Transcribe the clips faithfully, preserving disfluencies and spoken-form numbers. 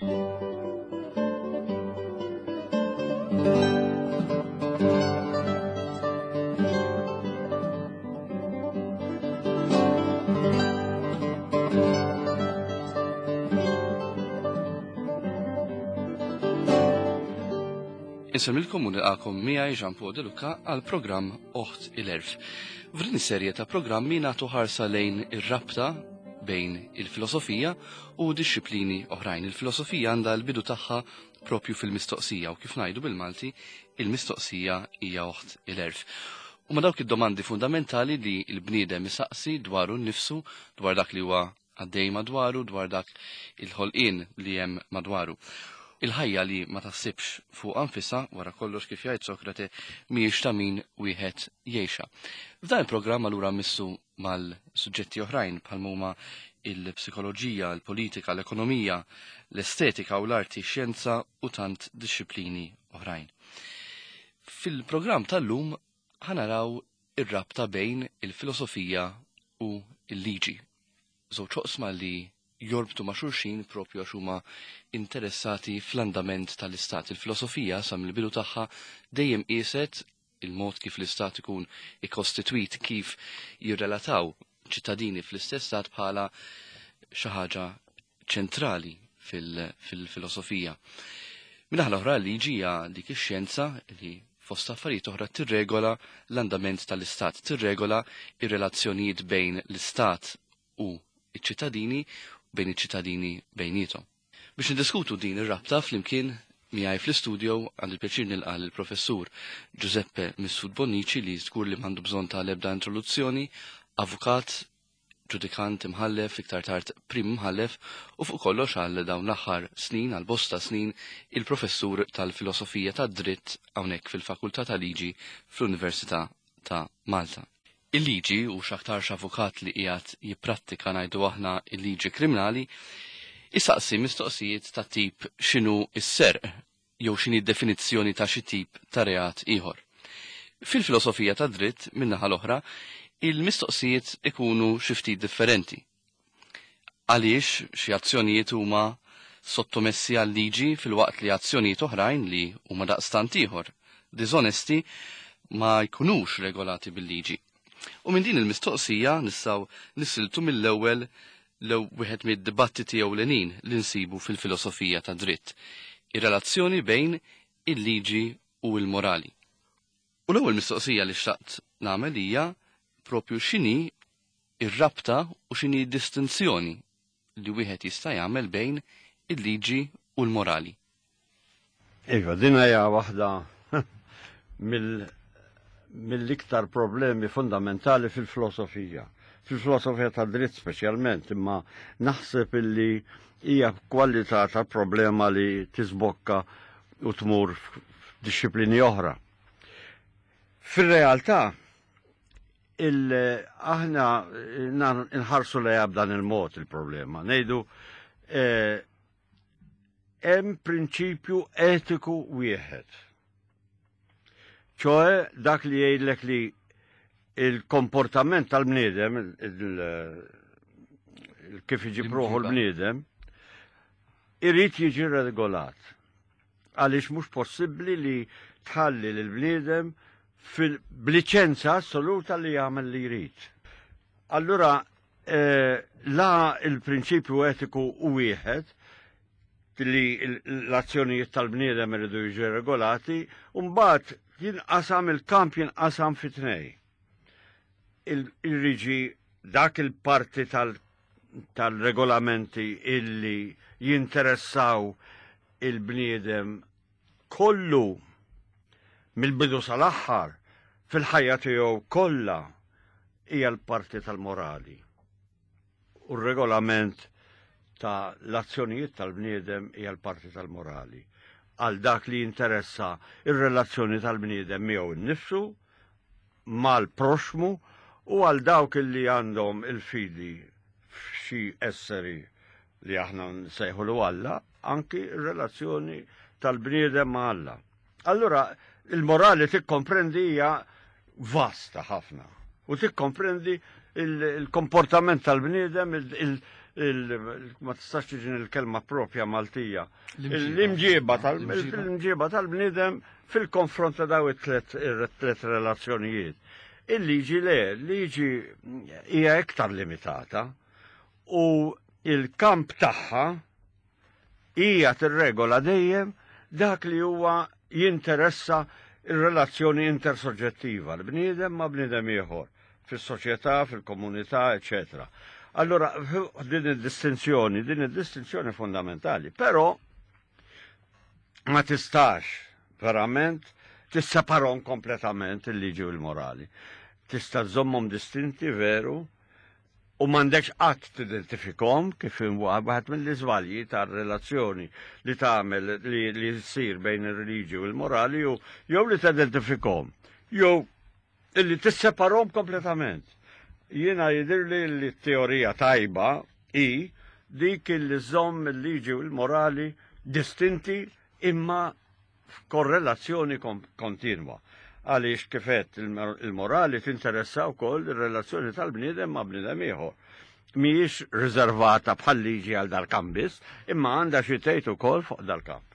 Insemmilkom u nilqakom miegħi Jean Paul De Luca għal programm Oħt il-Erf. F'din is-serje ta' programmi nagħtu ħarsa lejn ir-rabta bejn il-filosofija u dixxiplini oħrajn. Il-filosofija għandha l-bidu tagħha propju fil-mistoqsija u kif ngħidu bil-Malti, il-mistoqsija hija oħt il-erf. U ma dawk id-domandi fundamentali li l-bniedem isaqsi dwaru nnifsu, dwar dak li huwa għaddej madwaru, dwar dak il-ħolqien li hemm madwaru. Il-ħajja li ma taħsibx fuq anfisha, wara kollox kif jgħid Sokrate, mhijiex ta' min wieħed jgħixha. F'dan il-programm allura missu mal-suġġetti oħrajn bħal huma il-psikoloġija, il-politika, l-ekonomija, l-estetika u l-arti, xjenza u tant dixxiplini oħrajn. Fil-programm tal-lum ħanaraw ir-rabta bejn il-filosofija u l-liġi. Żewġ oqsma li jorbtu ma' xulxin propju għax huma interessati fl-andament tal-istat. Il-filosofija sa mill-bidu tagħha dejjem qieset il-mod kif l-istat ikun ikkostitwit, kif jirrelataw ċittadini fl-istess stat bħala xi ħaġa ċentrali fil-filosofija. Min-naħa l-oħra l-liġi hija dik ix-xjenza li fost affarijiet oħra tirregola l-andament tal-istat, tirregola ir-relazzjonijiet bejn l-istat u iċ-ċittadini, bejn iċ-ċittadini bejnietom. Biex niddiskutu din ir-rabta flimkien miegħi fl-istudio għandi l-pjaċir nilqa' lill-Professur Giuseppe Mifsud Bonnici li żgur li m'għandu bżonn ta' l-ebda introduzzjoni, avukat, ġudikant, imħallef, iktar tard prim imħallef u fuq kollox għal dawn l-aħħar snin, għal bosta snin, il-professur tal-filosofija tad-dritt hawnhekk fil-Fakultà tal-Liġi fl-Università ta' Malta. Il-liġi u x'aktarx avukat li qiegħed jipprattika ngħidu aħna il-liġi kriminali, isaqsi mistoqsijiet ta' tip x'inhu s-serq jew x'inhi d-definizzjoni ta' xi tip ta' reat ieħor. Fil-filosofija ta' dritt, min-naħa l-oħra, il-mistoqsijiet ikunu xi ftit differenti. Għaliex xi azzjonijiet huma sottomessi għal-liġi filwaqt li azzjonijiet oħrajn li huma daqstant ieħor diżonesti ma jkunux regolati bil-liġi. U minn din il-mistoqsija nistgħu nisiltu mill-ewwel l wieħed mid-dibattiti ewlenin li nsibu fil-filosofija ta' dritt, ir-relazzjoni bejn il-liġi u l-morali. U l-ewwel mistoqsija li xtaqt nagħmel hija propju x'inhi ir-rabta u x'inhi d-distinzjoni li wieħed jista' jagħmel bejn il-liġi u l-morali. Iva, din hija waħda mill mill-iktar problemi fundamentali fil-filosofija. Fil-filosofija ta' dritt speċjalment, imma naħseb illi hija kwalità ta' problema li tisbokka u tmur f'dixxiplini oħra. Fir-realtà, aħna nħarsu lejha b'dan il-mod il-problema. Ngħidu hemm prinċipju etiku wieħed. ċoe dak li jgħidlek li il-komportament tal-bniedem, kif iġib ruħu l-bniedem, irid jiġi regolat. Għaliex mhux possibbli li tħalli l-bniedem b'liċenza assoluta li jagħmel li jrid. Allura, la il-prinċipju etiku u wieħed li l-azzjonijiet tal-bniedem iridu jiġu regolati, u mbagħad jinqasam il-kamp jinqasam fi tnej. Il-riġi dak il-parti tal-regolamenti illi jinteressaw il-bniedem kollu mill-bidu sal-aħħar fil-ħajja tiegħu kollha hija l-parti tal-morali. U r-regolament ta' l-azzjonijiet tal-bniedem hija l-parti tal-morali. Għal dak li jinteressa ir-relazzjoni tal-bniedem miegħu nnifsu, mal-proxmu u għal dawk li għandhom il-fidi f'xi esseri li aħna nsejħulu Alla, anki r-relazzjoni tal-bniedem ma' Alla. Allura, il-morali tikkomprendi hija vasta ħafna u tikkomprendi il-komportament tal-bniedem, ma tistax tiġi il-kelma propja Maltija. L-imġiba tal-imġiba tal-bniedem fil-konfront ta' daw it-tlet relazzjonijiet. Il-liġi le, liġi hija iktar limitata u il-kamp tagħha hija tirregola dejjem dak li huwa jinteressa ir-relazzjoni intersoġġettiva, l-bniedem ma' bniedem ieħor, fis-soċjetà, fil-komunità, eċetera. Allora, din id-distinzjoni, din id-distinzjoni fondamentali, però ma tistax verament tisseparahom kompletament il-liġi u l-morali. Tista' żommhom distinti veru u m'għandekx qatt tidentifikhom kif waħed mill-iżbalji tar-relazzjoni li tagħmel li, li ssir bejn ir-reliġi u l-morali u jew li tidentifikhom jew illi tisseparahom kompletament. Jiena jidhirli li t-teorija tajba hi dik li żomm il-liġi u l-morali distinti imma f'korrelazzjoni kontinwa. Għaliex kifet il-morali tinteressa wkoll ir-relazzjoni tal-bniedem ma' bniedem ieħor. Mhijiex riservata bħal liġi għal dal-kamp biss, imma għandha xi tgħid ukoll fuq dal-kamp.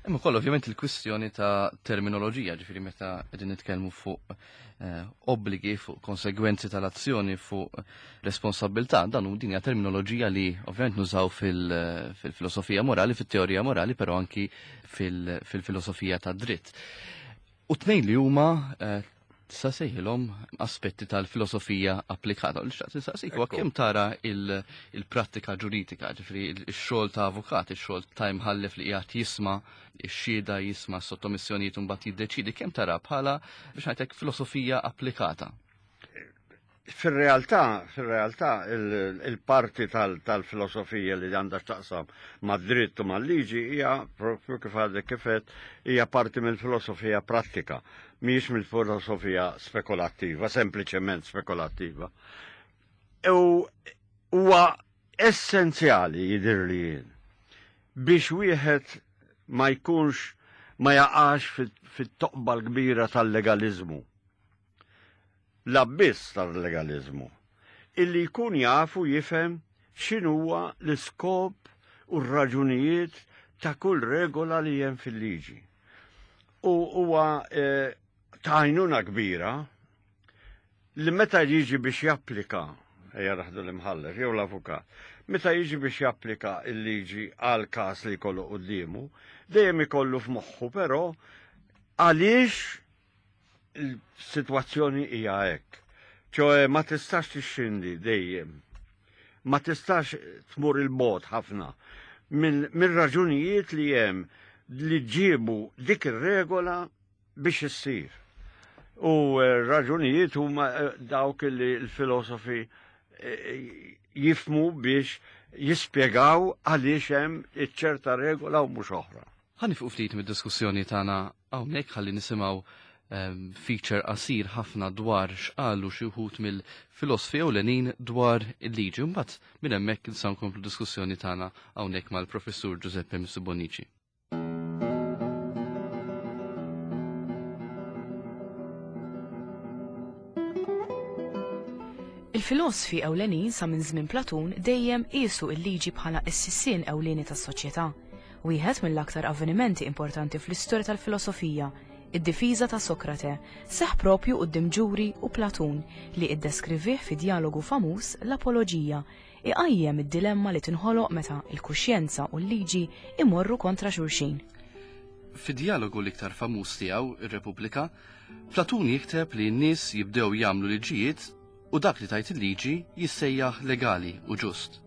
Hemm ukoll ovvjament il-kwistjoni ta' terminoloġija, ġifieri meta qegħdin nitkellmu fuq eh, obbligi, fuq konsegwenzi tal-azzjoni, fuq responsabilità, dan hu din hija terminoloġija li ovvjament nużaw fil-filosofija morali, fit-teorija morali, però anki fil-filosofija tad-dritt. U tnejn li huma eh, tista' sejħilhom aspetti tal-filosofija applikata. U xtaqt nistaqsik huwa kemm tara il-prattika ġuridika, ġifieri x-xogħol ta' avukat, ix-xogħol ta' imħallef li qiegħed jisma' ix-xhieda, jisma' sottomissjonijiet u mbagħad jiddeċiedi, kemm tara bħala biex ngħidlek filosofija applikata? Fil-realtà, fil-realtà il-parti tal-filosofija li għandha x'taqsam mad-dritt u mal-liġi hija propju kif għadek kifet hija parti mill-filosofija prattika, mhijiex mill-filosofija spekulattiva, sempliċement spekulattiva. U huwa essenzjali jidhir li jien biex wieħed ma jkunx ma jaqax fit-toqba l-kbira tal-legalizmu. L-abbiss tal-legalizmu, illi jkun jafu jifhem x'inhuwa l-iskop u r-raġunijiet ta' kull regola li hemm fil-liġi. U huwa eh, ta' għajnuna kbira li meta jiġi biex japplika, ejja raħdu l-imħallef jew l-avukat, meta jiġi biex japplika l-liġi għal każ li jkollu quddiemu, dejjem ikollu f'moħħu però għaliex il-sitwazzjoni hija hekk. ċoe ma tistax tixxindi dejjem. Ma tistax tmur il-bot ħafna mill-raġunijiet li hemm li ġiebu dik ir-regola biex issir. U raġunijiet huma dawk li l-filosofi jifmu biex jispjegaw għaliex hemm iċ-ċerta regola u mhux oħra. Ħa nifqu ftit mid-diskussjoni tagħna hawnhekk ħalli nisimgħu feature qasir ħafna dwar x'qalu xi wħud mill-filosfi ewlenin dwar il-liġi. Mbagħad minn hemmhekk nistgħu nkomplu diskussjoni tagħna hawnhekk mal-Professur Giuseppe Mifsud Bonnici. Il-filosfi ewlenin sa minn żmien Platun dejjem qiesu l-liġi bħala s-sissien ewlieni tas-soċjetà. Wieħed mill-aktar avvenimenti importanti fl-istorja tal-filosofija, id-difiża ta' Sokrate, seħ propju quddiem ġuri u Platun li iddeskrivih fi dialogu famuż l-Apoloġija, iqajjem id-dilemma li tinħoloq meta l-kuxjenza u l-liġi imorru kontra xulxin. Fi dialogu l-iktar famuż tiegħu, ir-Repubblika, Platun jikteb li n-nies jibdew jagħmlu liġijiet u dak li tajt il-liġi jissejjaħ legali u ġust.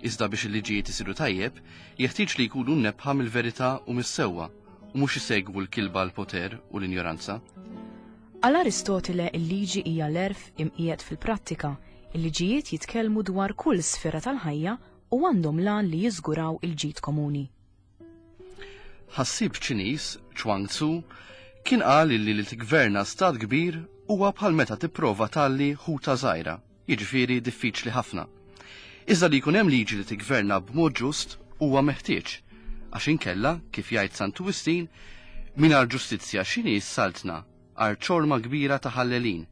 Iżda biex il-liġijiet isiru tajjeb, jeħtieġ li jkunu mnebbħa mill-verità u mis-sewwa u mhux isegwu l-kilba l-poter u l-injoranza. Għal Aristotile il-liġi hija l-erf imqiegħed fil-prattika. Il-liġijiet jitkellmu dwar kull sfera tal-ħajja u għandhom lan li jiżguraw il-ġid komuni. Ħassieb Ċiniż, Chuang Tzu, kien qal li li tigverna stat kbir huwa bħal meta tipprova talli ħuta żgħira, jiġifieri diffiċli ħafna. Iżda li jkun hemm liġi li tigverna b'mod ġust huwa meħtieġ, għax inkella, kif jgħid Santu Wistin, mingħajr ġustizzja x'inhi s-saltna għar ċorma kbira ta' ħallelin.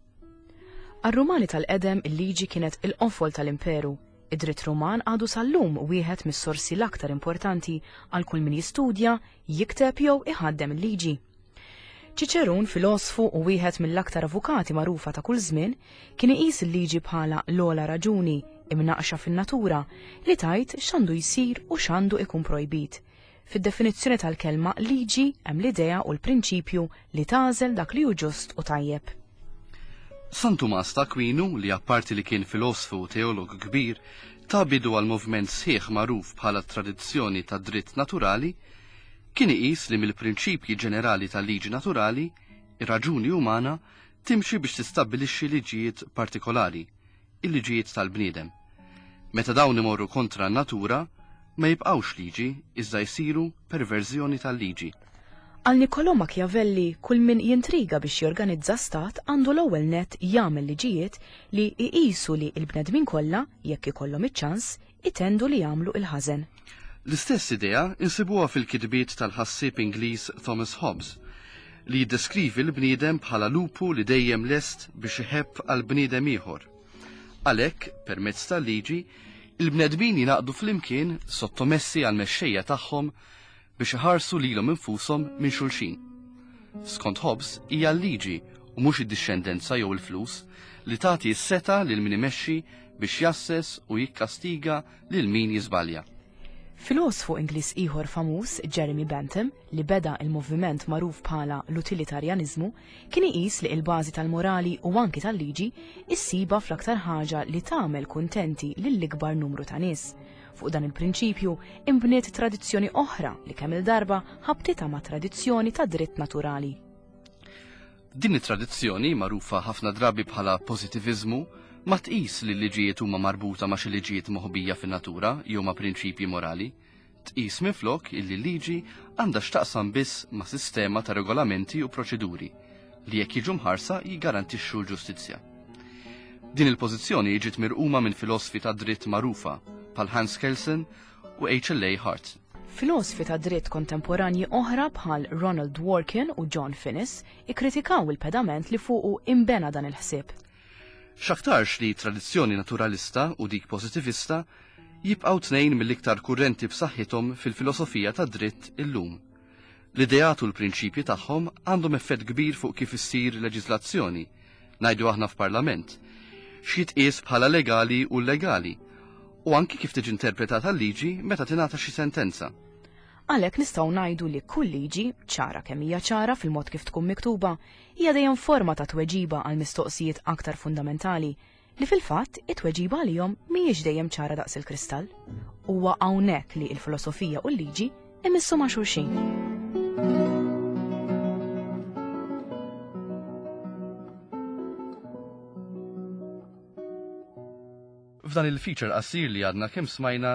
Għar-Rumani tal-qedem il-liġi kienet il-qofol tal-imperu. Id-dritt Ruman għadu sal-lum wieħed mis-sorsi l-aktar importanti għal kull min jistudja, jikteb jew iħaddem il-liġi. Ċiċerun, filosfu u wieħed mill-aktar avukati magħrufa ta' kull żmien, kien iqis il-liġi bħala l-ogħla raġuni imnaqxa fin-natura li tajt x'għandu jsir u x'għandu ikun projbit. Fid-definizzjoni tal-kelma liġi hemm l-idea u l-prinċipju li tagħżel dak li hu ġust u tajjeb. San Tumas ta' Aquinu, li apparti li kien filosfu u teologu kbir, ta' bidu għal moviment sħiħ magħruf bħala tradizzjoni ta' dritt naturali, kien iqis li mill-prinċipji ġenerali tal-liġi naturali, ir-raġuni umana timxi biex tistabbilixxi liġijiet partikolari, il-liġijiet tal-bniedem. Meta dawn imorru kontra n-natura, ma jibqgħux liġi iżda jsiru perverżjoni tal-liġi. Għal Niccolò Machiavelli, kull min jintriga biex jorganizza stat għandu l-ewwel net jagħmel liġijiet li jqisu li l-bnedmin kollha, jekk ikollhom iċ-ċans, itendu li jagħmlu il-ħażen. L-istess idea insibuha fil-kitbiet tal-ħassieb Ingliż Thomas Hobbes, li jiddeskrivi l-bniedem bħala lupu li dejjem lest biex iħebb għal bniedem ieħor. Għalhekk, permezz tal-liġi, il-bnedmin jingħaqdu flimkien sottomessi għal mexxejja tagħhom biex iħarsu lilhom infushom minn xulxin. Skont Hobbes hija l-liġi u mhux id-dixxendenza jew il-flus li tagħti s-seta lil min imexxi biex jasses u jikkastiga lil min jiżbalja. Filosfu Ingliż ieħor famuż, Jeremy Bentham, li beda il-moviment magħruf bħala l-utilitarjaniżmu, kien iqis li l-bażi tal-morali u anki tal-liġi issiba fl-aktar ħaġa li tagħmel kuntenti lill-ikbar numru ta' nies. Fuq dan il-prinċipju imbniet tradizzjoni oħra li kemm il-darba ħabtitha ma' tradizzjoni ta' dritt naturali. Din it-tradizzjoni, magħrufa ħafna drabi bħala pożittiviżmu, ma tqis li l-liġijiet huma marbuta ma' xi liġijiet moħbija fin-natura jew ma' prinċipji morali. Tqis minflok illi l-liġi għandha x'taqsam biss ma' sistema ta' regolamenti u proċeduri li jekk jiġu mħarsa jiggarantixxu l-ġustizzja. Din il-pożizzjoni ġiet mirquma minn filosfi ta' dritt magħrufa bħal Hans Kelsen u H L A Hart. Filosfi ta' dritt kontemporanji oħra bħal Ronald Dworkin u John Finnis ikkritikaw il-pedament li fuqu imbena dan il-ħsieb. X'aktarx li tradizzjoni naturalista u dik pożittivista jibqgħu tnejn mill-iktar kurrenti b'saħħithom fil-filosofija ta' dritt illum. L-ideat u l-prinċipji tagħhom għandhom effett kbir fuq kif issir leġiżlazzjoni, ngħidu aħna f'parlament, x'jitqies bħala legali u llegali, u anki kif tiġi interpretata l-liġi meta tingħata xi sentenza. Għalhekk nistgħu ngħidu li kull liġi, ċara kemm hija ċara fil-mod kif tkun miktuba, hija dejjem forma ta' tweġiba għal mistoqsijiet aktar fundamentali li fil-fatt it-tweġiba għalihom mhijiex dejjem ċara daqs il-kristall. Huwa hawnhekk li l-filosofija u l-liġi imissu ma' xulxin. F'dan il-feature qasir li għadna kemm smajna,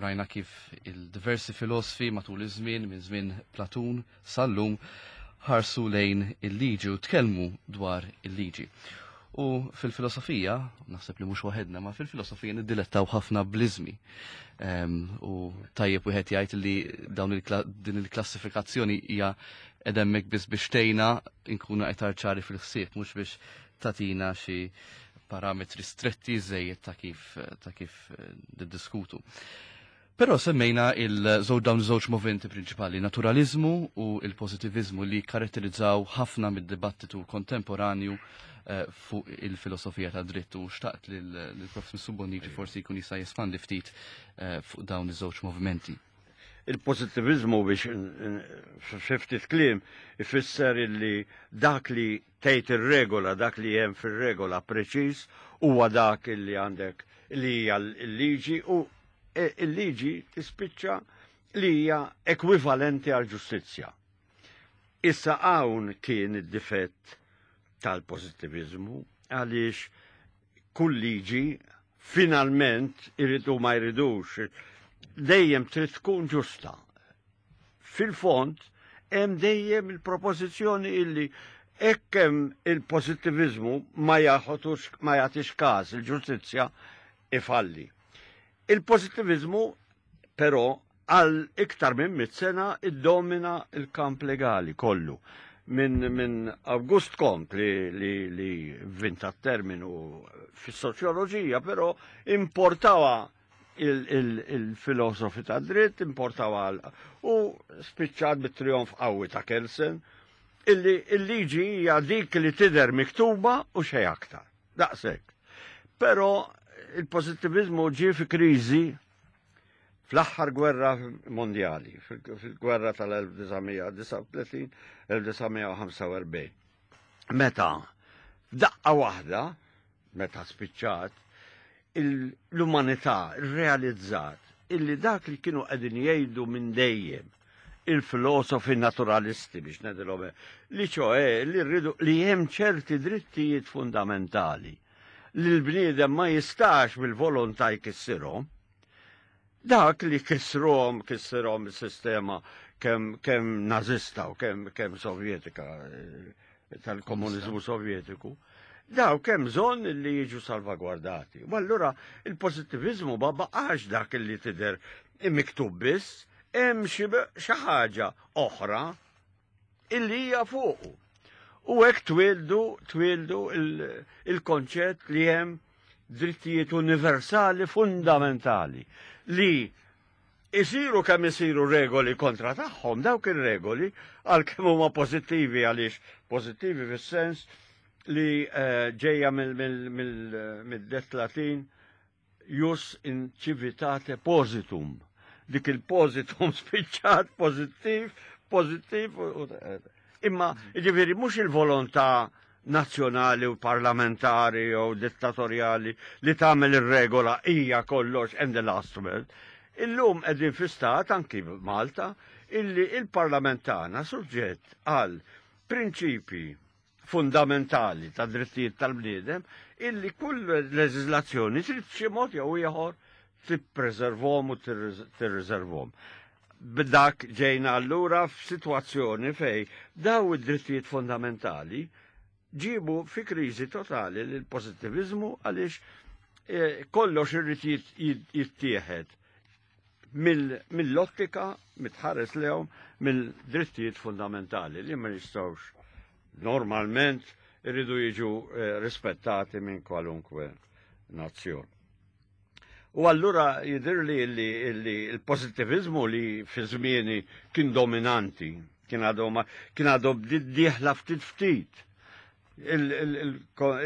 rajna kif il-diversi filosfi matul iż-żmien, minn żmien Platun sal-lum, ħarsu lejn il-liġi u tkellmu dwar il-liġi. U fil-filosofija, naħseb li mhux waħedna, ma fil-filosofija niddilettaw ħafna bliżmi. Ehm, u tajjeb wieħed jgħid li dawn il-kla-, din il-klassifikazzjoni hija edemmek biss biex tgħinna nkunu aktar ċari fil-ħsieb, mhux biex tatina xi parametri stretti żejjed ta' kif, ta' kif niddiskutu. Però semmejna il-żewġ dawn iż-żewġ movimenti prinċipali, naturalizmu u il-pożittiviżmu, li karatterizzaw ħafna mid-dibattitu kontemporanju, eh, fuq il-filosofija ta' dritt, u xtaqt lil, lil Professur Bonnici forsi jkun jista' jespandi ftit, eh, fuq dawn iż-żewġ movimenti. Il-pożittiviżmu biex fi ftit kliem ifisser illi dak li tgħid ir-regola, dak li hemm fir-regola preċiż huwa dak illi għandek li hija l-liġi, u e-, il-liġi tispiċċa li hija ekwivalenti għal ġustizzja. Issa hawn kien id-difett tal-pożittiviżmu, għaliex kull liġi finalment iridu ma jridux dejjem trid tkun ġusta. Fil-fond hemm dejjem il-propożizzjoni illi hekk hemm il-pożittiviżmu ma jaħotux, ma jagħtix każ il-ġustizzja ifalli. Il-pożittiviżmu però għal iktar minn mitt sena iddomina il-kamp legali kollu. minn min August Comte li, li, li vinta terminu fis-soċjoloġija, però importawa il-filosofi ta' dritt, importawa u spiċċat bit-trionf qawwi ta' Kelsen, illi il-liġi hija dik li tidher miktuba u xejn aktar. Daqshekk. Però il-pożittivizmu ġie fi kriżi fl-aħħar gwerra mondjali, fil-gwerra tal-elf disa' mija disgħa u tletin elf disa' mija u ħamsa u erbgħin. Meta f'daqqa waħda, meta spiċċat, l-umanità realizzat illi dak li kienu qegħdin jgħidu minn dejjem il-filosofi naturalisti biex ngħidilhom li ċoe li rridu li hemm ċerti drittijiet fundamentali li l-bniedem ma jistax bil-volontà jkissirhom. Dak li kissruhom, kissirhom is-sistema kemm kemm nazista u kemm kemm sovjetika tal-komuniżmu sovjetiku, daw kemm bżonn li jiġu salvagwardati. U allura il-pożittiviżmu ma baqax dak li tidher miktub biss, hemm xi ħaġa oħra illi hija fuqu. U hekk twildu, twildu il-konċett li hemm drittijiet universali fundamentali li isiru kemm isiru regoli kontra tagħhom, dawk ir-regoli għalkemm huma pożittivi, għaliex pożittivi fis-sens li, eh, ġejja mill-det Latin jus in civitate positum. Dik il-positum spiċċat pożittiv, pożittiv imma jiġifieri mhux il-volontà nazzjonali u parlamentari u dittatorjali li tagħmel ir-regola hija kollox and the last word. Illum qegħdin fi stat anki Malta illi il-parlament tagħna suġġett għal prinċipi fundamentali ta' drittijiet tal-bniedem illi kull leżiżlazzjoni trid b'xi mod jew ieħor tippreservhom u tirriservhom. B'dak ġejna allura f'sitwazzjoni fej daw id-drittijiet fundamentali ġibu fi kriżi totali l-pożittiviżmu għaliex, eh, kollox irid jittieħed mill-ottika mitħares lehom mill-drittijiet fundamentali li ma jistgħux normalment irridu jiġu, eh, rispettati minn kwalunkwe nazzjon. U allura jidher li li l-pożittiviżmu li fi żmieni kien dominanti, kien għadu ma-, kien għadu dieħla ftit ftit. Il-, il-, il-,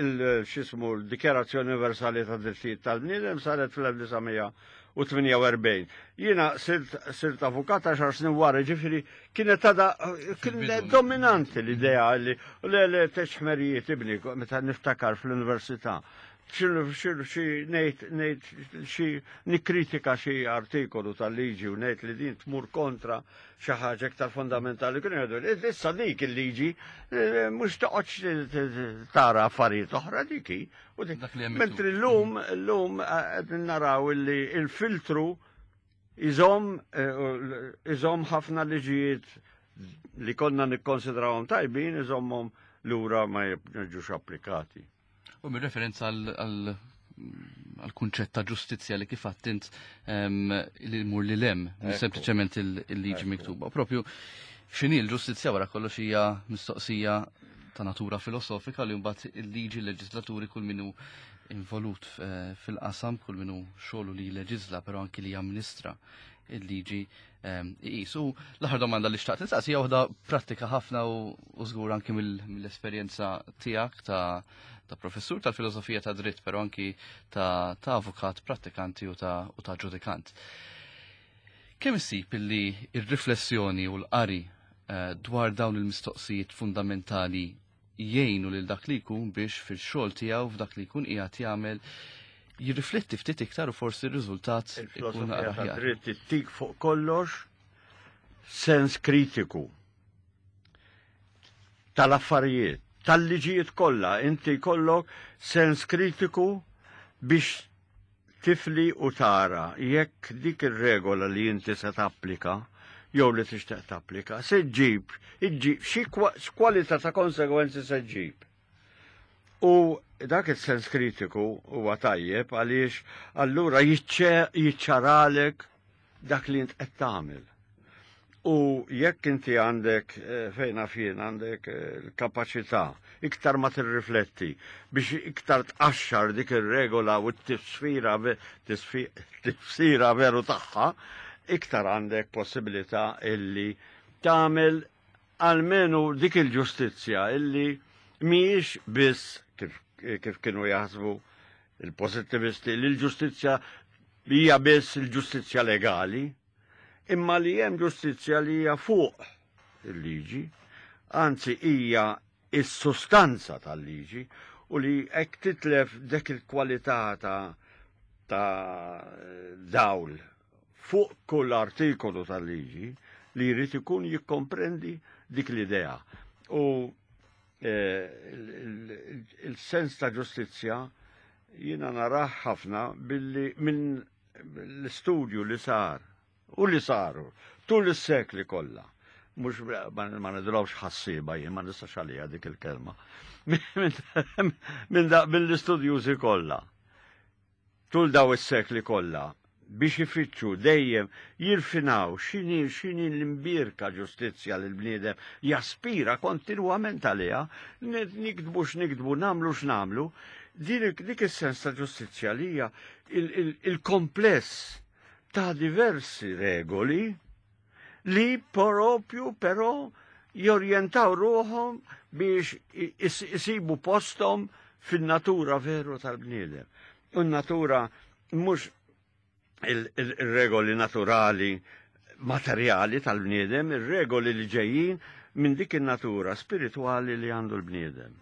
il-, x'ismu, l-Dikjarazzjoni Universali ta' Drittijiet tal-Bniedem saret fl-elf disa' mija u tmienja u erbgħin. Jiena sirt, sirt avukat għaxar snin wara, ġifieri kienet għadha, kienet dominanti l-idea li le, le, teċ-ħmerijiet ibni, meta niftakar fl-università. Xi, xi, xi, ngħid, ngħid, xi nikkritika xi artikolu tal-liġi u ngħid li din tmur kontra xi ħaġa iktar fondamentali. Kienu jgħidu, issa dik il-liġi, eh, mhux toqgħodx tara affarijiet oħra diki. U dik- Dak li hemm Mentri miktub. llum, llum, eh, qed naraw illi il-filtru iżomm, eh, iżomm ħafna liġijiet li konna nikkonsidrawhom tajbin, iżommhom lura ma jiġux applikati. U mir referenza għal-kunċett ta' ġustizzja li kif għattint, ehm, li mur li lem, Ekku. sempliċement il-, il-liġi Ekku. miktuba. Propju x'inhi l-ġustizzja wara kollox hija mistoqsija ta' natura filosofika li mbagħad il-liġi l-leġislaturi kull minu involut, eh, fil-qasam, kull minu xogħlu li jleġisla, però anki li jamministra il-liġi, ehm, iqis. U l-aħħar domanda li xtaqt nistaqsi hija waħda prattika ħafna u, u żgur anki mill-, mill-esperjenza tiegħek ta', ta' professur tal-filosofija ta' dritt, però anki ta', ta' avukat prattikanti u ta', u ta' ġudikant. Kemm issib illi ir-riflessjoni u l-qari, eh, dwar dawn il-mistoqsijiet fundamentali jgħinu lil dak li jkun biex fil-xogħol tiegħu f'dak li jkun qiegħed jagħmel jirrifletti ftit iktar u forsi r-riżultat ikun Il-filosofija ta' aħjar. dritt ittik fuq kollox sens kritiku tal-affarijiet, tal-liġijiet kollha, inti jkollok sens kritiku biex tifli u tara jekk dik ir-regola li inti se tapplika jew li tixtieq tapplika, se ġġib, iġġib xi kwa-, x'kwalità ta' konsegwenzi se ġġib. U dak il-sens kritiku huwa tajjeb għaliex allura jiċċe-, jiċċaralek dak li int qed tagħmel. U jekk inti għandek eh, fejn jien għandek eh, l-kapaċità iktar ma tirrifletti biex iktar tqaxxar dik ir-regola u t-tifsira tifsira veru tagħha, iktar għandek possibilità illi tagħmel almenu dik il-ġustizzja illi mhijiex biss kif, kif kienu jaħsbu il-pozittivisti li l-ġustizzja hija biss il-ġustizzja legali, imma li hemm ġustizzja li hija fuq il-liġi, anzi hija is-sustanza tal-liġi u li hekk titlef dik il-kwalità ta' ta' dawl fuq kull artikolu tal-liġi li jrid ikun jikkomprendi dik l-idea. U eh, il-sens ta' ġustizzja jiena narah ħafna billi minn l-istudju li sar u li saru tul is-sekli kollha. Mhux ma nidrawx ħassiba jien ma nistax għalija dik il-kelma. Minn mill-istudjużi kollha. Tul daw is-sekli kollha biex ifittxu dejjem jirfinaw x'inhi x'inhi l-imbierka ġustizzja li l-bniedem jaspira kontinwament għaliha, niktbu x'niktbu, nagħmlu x'nagħmlu, dik is-sens ta' ġustizzja li hija il-kompless ta' diversi regoli li propju però jorjentaw ruħhom biex isibu postom fin-natura veru tal-bniedem. U n-natura mhux il-regoli naturali materjali tal-bniedem, il-regoli li ġejjin minn dik in-natura spirituali li għandu l-bniedem.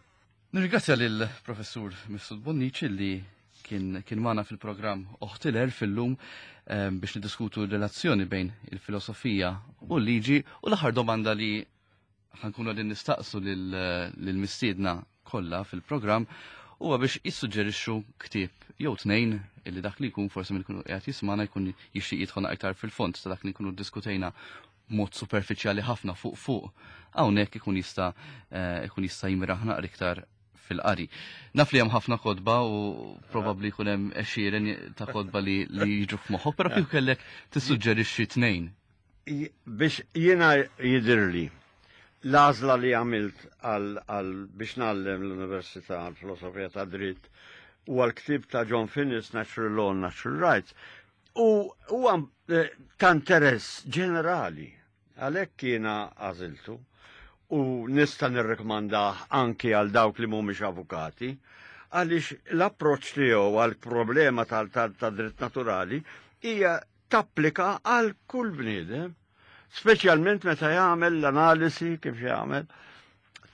Nirringrazzja lill professur Mifsud Bonnici li kien, kien magħna fil-programm Oħt il-Għerf illum eh, biex niddiskutu r-relazzjoni bejn il-filosofija u l-liġi u l-aħħar domanda li ħa nkunu qegħdin nistaqsu lill-mistiedna kollha fil-programm huwa biex jissuġġerixxu ktieb jew tnejn illi dak li jkun forsi minn ikunu qiegħed jismana jkun jixtieq jidħol aktar fil-fond ta' dak li nkunu ddiskutejna mod superfiċjali ħafna fuq fuq hawnhekk ikun jista' eh, ikun jista' jimraħ naqra iktar fil-qari. Naf li hemm ħafna kotba u probabbli jkun hemm għexieren ta' kotba li, li jiġu f'moħħok, però kieku kellek tissuġġerixxi tnejn. Biex jiena jidirli l-għażla li għamilt għal biex ngħallem l-Università għal-Filosofija ta' Dritt u għal-ktib ta' John Finnis, Natural Law and Natural Rights, u huwa eh, ta' interess ġenerali. Għalhekk jiena għażiltu u nista' nirrekomandah anki għal dawk li mhumiex avukati, għaliex l-approċċ tiegħu għal problema tal-dritt naturali hija tapplika għal kull bniedem, speċjalment meta jagħmel l-analisi kif jagħmel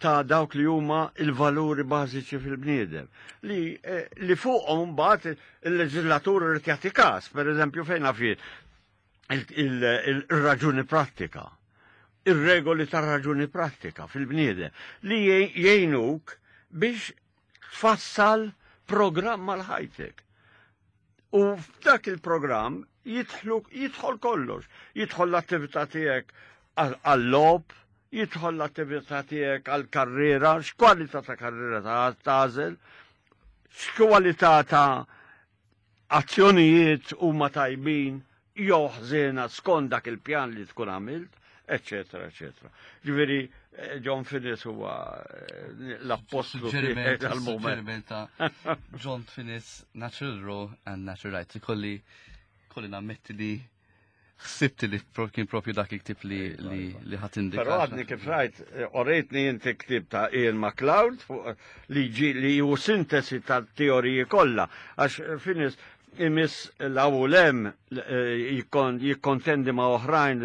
ta' dawk li huma il-valuri bażiċi fil-bniedem li, eh, li fuqhom mbagħad il-leġislatur irid jagħti każ, pereżempju fejn fih il-raġuni prattika, ir-regoli tar-raġuni prattika fil-bniedem li jgħinuk biex tfassal programm għal ħajtek. U f'dak il-programm jidħlu jidħol kollox, jidħol l-attività tiegħek għall-logħob, jidħol l-attività tiegħek għall-karriera, x'kwalità ta' karriera ta' tagħżel, x'kwalità ta' azzjonijiet huma tajbin jew ħżiena skont dak il-pjan li tkun għamilt, eccetera, eccetera. Ġifieri eh, John Finnis huwa eh, l-appostlu Suġġeriment tal-moment. suġġeriment ta' John Finnis, Natural Law and Natural Rights. Kolli kolli nammetti li ħsibt li pro- kien propju dak il-ktib li li li ħadd indika. Però għadni kif rajt, eh, orejtni inti ktib ta' Ian MacLeod fuq, eh, li ġi li ju sintesi tal-teoriji kollha, għax eh, Finnis imiss l-awlem jikkontendi ma' oħrajn,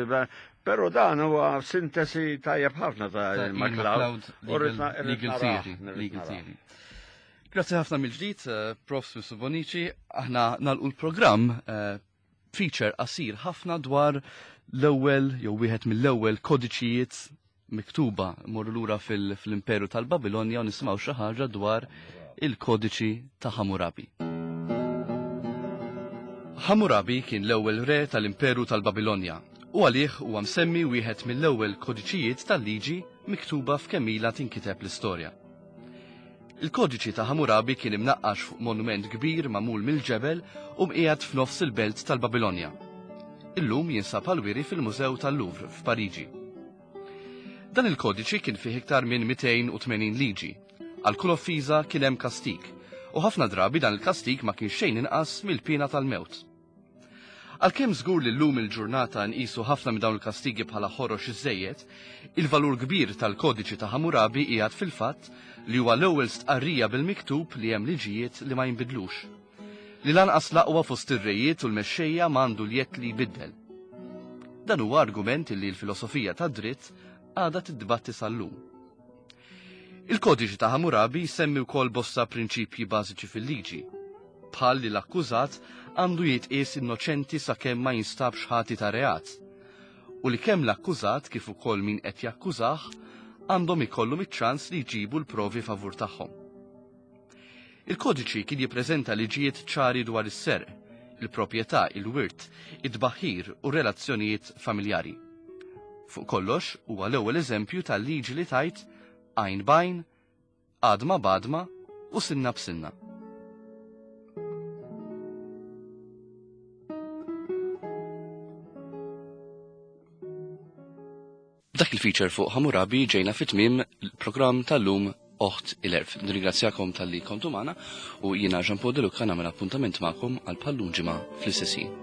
però dan huwa sintesi tajjeb ħafna ta' Ta' Ian Ian MacLeod. MacLeod, U rrid na- Legal, irrid Legal narah, Theory. irrid Legal narah. Theory. Grazie ħafna mill-ġdid, eh, Prof Mifsud Bonnici. Aħna nagħlqu l-programm eh, feature qasir ħafna dwar l-ewwel jew wieħed mill-ewwel kodiċijiet miktuba morru lura fil- fil-Imperu tal-Babilonja u nisimgħu xi ħaġa dwar il-kodiċi ta' Hammurabi. Hammurabi kien l-ewwel re tal-Imperu tal-Babilonja u għalih huwa msemmi wieħed mill-ewwel kodiċijiet tal-liġi miktuba f'kemm ilha tinkiteb l-istorja. Il-kodiċi ta' Hammurabi kien imnaqqax fuq monument kbir magħmul mill-ġebel u mqiegħed f'nofs il-belt tal-Babilonja. Illum jinsab għal-wiri fil-Mużew tal-Louvre f'Pariġi. Dan il-kodiċi kien fih iktar minn mitejn u tmenin liġi. Għal kull offiża kien hemm kastik, u ħafna drabi dan il-kastik ma kien xejn inqas mill-pena tal-mewt. Għalkemm żgur li llum il-ġurnata nqisu ħafna minn dawn il-kastigi bħala ħorox iżejjed, il-valur kbir tal-kodiċi ta' Hammurabi qiegħed fil-fatt li huwa l-ewwel stqarrija bil-miktub li hemm liġijiet li ma jinbidlux. Li lanqas l-aqwa fost ir-rejiet u l-mexxejja m'għandu l-jedd li jbiddel. Dan huwa argument li l-filosofija tad-dritt għadha tiddibatti sal-lum. Il-kodiċi ta' Hammurabi jsemmi wkoll bosta prinċipji bażiċi fil-liġi, bħal li l-akkużat għandu jitqies innoċenti sakemm ma jinstabx ħati ta' reat, u li kemm l-akkużat kif ukoll min qed jakkużah għandhom ikollhom iċ-ċans li jġibu l-provi favur tagħhom. Il-kodiċi kien jippreżenta liġijiet ċari dwar is-serq, il-proprjetà, il-wirt, it-tbaħħir u relazzjonijiet familjari. Fuq kollox huwa l-ewwel eżempju tal-liġi li tgħid għajn b'għajn, għadma b'għadma u sinna b'sinna. Dak il-feature fuq Hammurabi ġejna fit-tmiem il-programm tal-lum, Oħt il-Għerf. Nirringrazzjakom talli kontu magħna u jiena Jean Paul De Luca nagħmel appuntament magħkom għal bħal-lum ġimgħa fl-istess ħin.